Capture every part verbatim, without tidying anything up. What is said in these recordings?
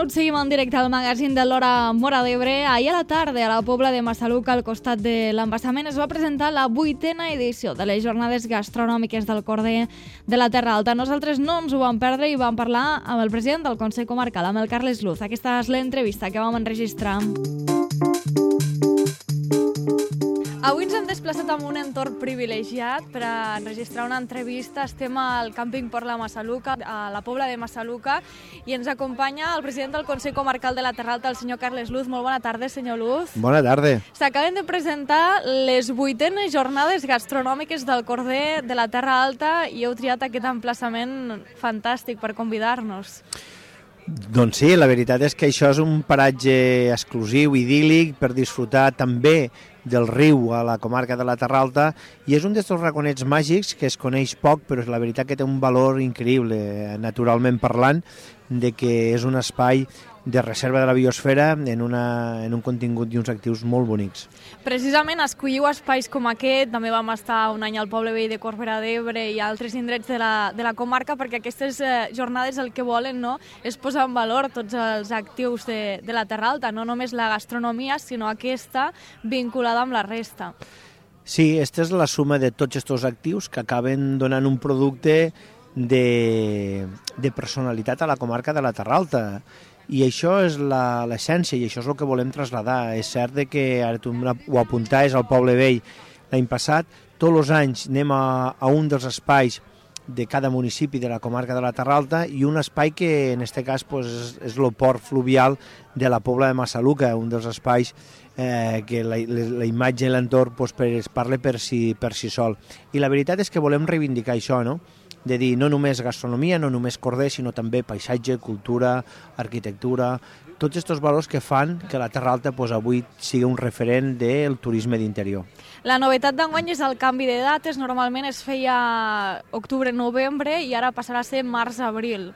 minut seguim en directe al magazín de l'Hora Móra d'Ebre. Ahir a la tarda, a la Pobla de Massaluca, al costat de l'embassament, es va presentar la vuitena edició de les jornades gastronòmiques del Corder de la Terra Alta. Nosaltres no ens ho vam perdre i vam parlar amb el president del Consell Comarcal, amb el Carles Luz. Aquesta és l'entrevista que vam enregistrar. Avui ens hem desplaçat en un entorn privilegiat per a enregistrar una entrevista. Estem al càmping Port la Massaluca, a la Pobla de Massaluca, i ens acompanya el president del Consell Comarcal de la Terra Alta, el senyor Carles Luz. Molt bona tarda, senyor Luz. Bona tarda. S'acaben de presentar les vuitenes jornades gastronòmiques del Corder de la Terra Alta i heu triat aquest emplaçament fantàstic per convidar-nos. Doncs sí, la veritat és que això és un paratge exclusiu, idíl·lic, per disfrutar també del riu a la comarca de la Terra Alta, i és un d'aquests raconets màgics que es coneix poc, però la veritat que té un valor increïble, naturalment parlant, de que és un espai de reserva de la biosfera en, una, en un contingut i uns actius molt bonics. Precisament escolliu espais com aquest, també vam estar un any al poble vell de Corbera d'Ebre i altres indrets de la, de la comarca, perquè aquestes eh, jornades el que volen, no, és posar en valor tots els actius de, de la Terra Alta, no només la gastronomia, sinó aquesta vinculada amb la resta. Sí, aquesta és la suma de tots aquests actius que acaben donant un producte de, de personalitat a la comarca de la Terra Alta. I això és l'essència i això és el que volem traslladar. És cert que, ara tu ho apuntaves al poble vell l'any passat, tots els anys anem a, a un dels espais de cada municipi de la comarca de la Terra Alta, i un espai que en aquest cas pues, és, és el port fluvial de la Pobla de Massaluca, un dels espais eh, que la, la imatge i l'entorn pues, per, es parla per si, per si sol. I la veritat és que volem reivindicar això, no? De dir no només gastronomia, no només corder, sinó també paisatge, cultura, arquitectura, tots aquests valors que fan que la Terra Alta pues, avui sigui un referent del turisme d'interior. La novetat d'enguany és el canvi de dates. Normalment es feia octubre-novembre i ara passarà a ser març-abril.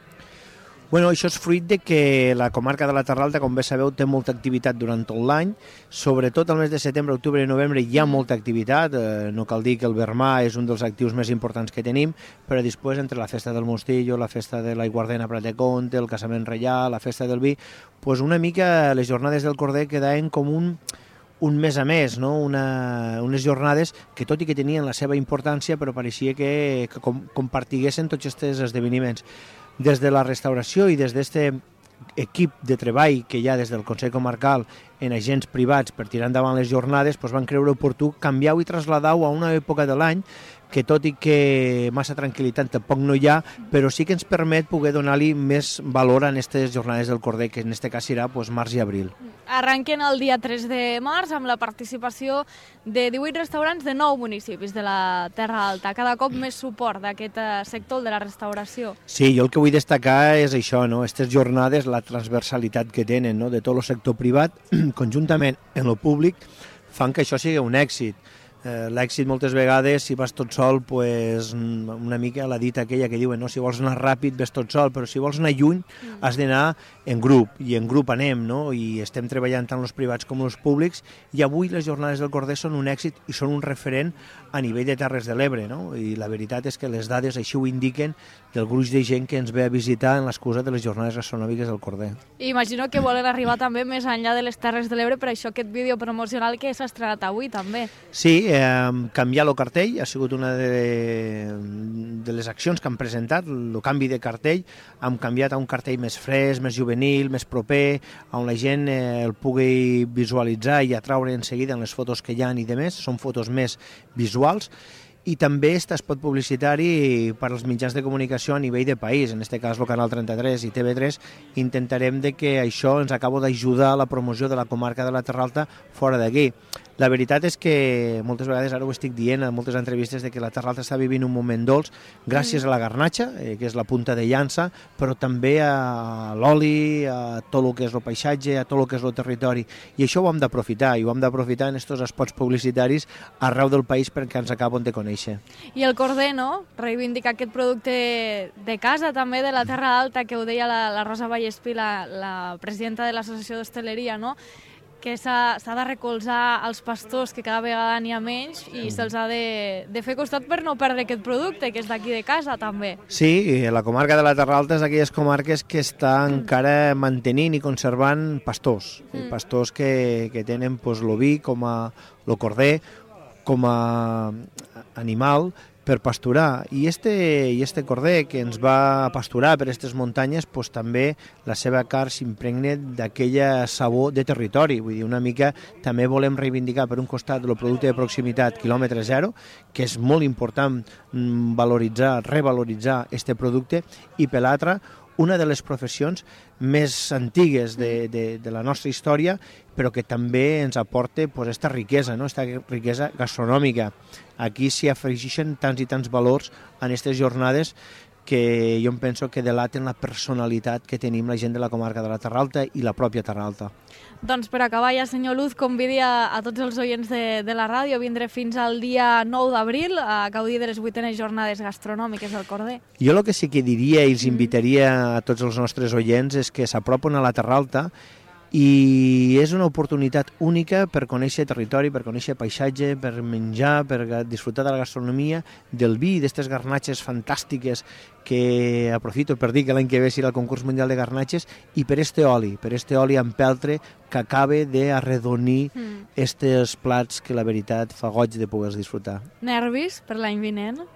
Bueno, això és fruit de que la comarca de la Terra Alta, com bé sabeu, té molta activitat durant tot l'any. Sobretot al mes de setembre, octubre i novembre hi ha molta activitat. Eh, no cal dir que el Vermà és un dels actius més importants que tenim, però després, entre la festa del Mostillo, la festa de l'Aiguardent a Prat de Comte, el casament reial, la festa del vi, pues una mica les jornades del Corder quedaven com un, un mes a més, no? Una, unes jornades que, tot i que tenien la seva importància, però pareixia que, que com, compartiguessin tots aquests esdeveniments. Des de la restauració i des d'aquest equip de treball que hi ha des del Consell Comarcal en agents privats per tirar endavant les jornades, doncs van creure oportú canviar-ho i traslladar-ho a una època de l'any que, tot i que massa tranquil·litat tampoc no hi ha, però sí que ens permet poder donar-li més valor a aquestes jornades del Corder, que en aquest cas serà doncs, març i abril. Arrenquen el dia tres de març amb la participació de divuit restaurants de nou municipis de la Terra Alta. Cada cop més suport d'aquest sector de la restauració. Sí, jo el que vull destacar és això, no? Aquestes jornades, la transversalitat que tenen, no? De tot el sector privat, conjuntament en el públic, fan que això sigui un èxit. Eh, l'èxit moltes vegades, si vas tot sol, pues, una mica la dita aquella que diuen, no? Si vols anar ràpid ves tot sol, però si vols anar lluny has d'anar en grup, i en grup anem, no? I estem treballant tant els privats com els públics, i avui les jornades del Corder són un èxit i són un referent a nivell de Terres de l'Ebre, no? I la veritat és que les dades així ho indiquen del gruix de gent que ens ve a visitar en l'excusa de les jornades gastronòmiques del Corder. Imagino que volen arribar també més enllà de les Terres de l'Ebre, per això aquest vídeo promocional que s'ha estrenat avui també. Sí, eh, canviar el cartell ha sigut una de, de les accions que han presentat, el canvi de cartell. Hem canviat a un cartell més fresc, més juvenil, més proper, on la gent eh, el pugui visualitzar i atraure en seguida en les fotos que hi ha i de més. Són fotos més visuals. I també està espot publicitari per als mitjans de comunicació a nivell de país, en aquest cas el Canal trenta-tres i T V tres. Intentarem de que això ens acabo d'ajudar a la promoció de la comarca de la Terra Alta fora d'aquí. La veritat és que moltes vegades, ara ho estic dient en moltes entrevistes, de que la Terra Alta està vivint un moment dolç gràcies a la garnatxa, eh, que és la punta de llança, però també a l'oli, a tot el que és el paisatge, a tot el que és el territori. I això ho hem d'aprofitar, i ho hem d'aprofitar en aquests espots publicitaris arreu del país perquè ens acaben de conèixer. I el Corder, no? Reivindicar aquest producte de casa també de la Terra Alta, que ho deia la, la Rosa Vallespí, la, la presidenta de l'Associació d'Hostaleria, no? que s'ha de recolzar els pastors, que cada vegada n'hi ha menys, i se'ls ha de, de fer costat per no perdre aquest producte, que és d'aquí de casa, també. Sí, la comarca de la Terra Alta és d'aquelles comarques que està mm. encara mantenint i conservant pastors, mm. pastors que, que tenen pues, l'oví com a el corder, com a animal, per pasturar. I este, i este corder que ens va pasturar per aquestes muntanyes, pues, també la seva carn s'impregna d'aquella sabor de territori. Vull dir, una mica també volem reivindicar per un costat el producte de proximitat quilòmetre zero, que és molt important valoritzar, revaloritzar este producte, i per l'altre, una de les professions més antigues de, de, de la nostra història, però que també ens aporta pues, esta riquesa, no? Esta riquesa gastronòmica. Aquí s'hi afegeixen tants i tants valors en aquestes jornades que jo em penso que delaten la personalitat que tenim la gent de la comarca de la Terra Alta i la pròpia Terra Alta. Doncs per acabar ja, senyor Luz, convidi a, a tots els oients de, de la ràdio a vindre fins al dia nou d'abril a gaudir de les vuitenes jornades gastronòmiques del Corder. Jo el que sí que diria i els invitaria a tots els nostres oients és que s'apropen a la Terra Alta i és una oportunitat única per conèixer territori, per conèixer paisatge, per menjar, per disfrutar de la gastronomia, del vi, d'aquestes garnatxes fantàstiques que aprofito per dir que l'any que ve serà el concurs mundial de garnatxes, i per este oli, per este oli amb peltre que acaba d'arredonir mm. estes plats que la veritat fa goig de poder disfrutar. Nervis per l'any vinent?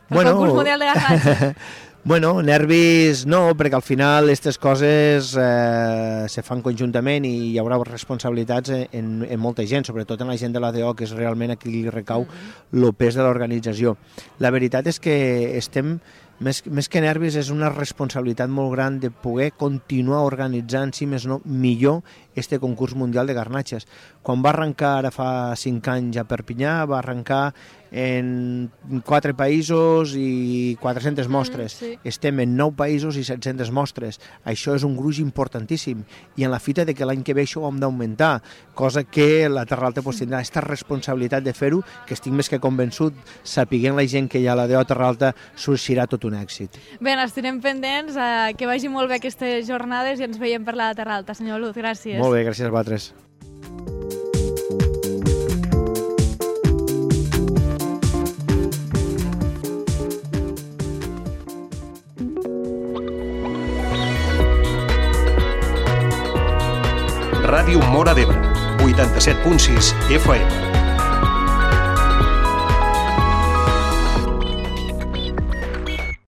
El bueno, concurs mundial de garnatxes? Bueno, nervis no, perquè al final aquestes coses eh, se fan conjuntament i hi haurà responsabilitats en, en molta gent, sobretot en la gent de l'A D O, que és realment a qui li recau el pes de l'organització. La veritat és que estem, més, més que nervis, és una responsabilitat molt gran de poder continuar organitzant, si més no, millor este concurs mundial de garnatxes. Quan va arrencar ara fa cinc anys a Perpinyà, va arrencar en quatre països i quatre-centes mostres. Mm, sí. Estem en nou països i set-centes mostres. Això és un gruix importantíssim. I en la fita de que l'any que ve això ho hem d'augmentar, cosa que la Terra Alta pues, tindrà aquesta responsabilitat de fer-ho, que estic més que convençut, sapiguent la gent que hi ha a la D O Terra Alta, sorgirà tot un èxit. Bé, estarem pendents, eh, que vagi molt bé aquestes jornades i ens veiem per la Terra Alta. Senyor Luz, gràcies. Molt bé, gràcies a vosaltres. Ràdio Móra d'Ebre, vuitanta-set punt sis F M.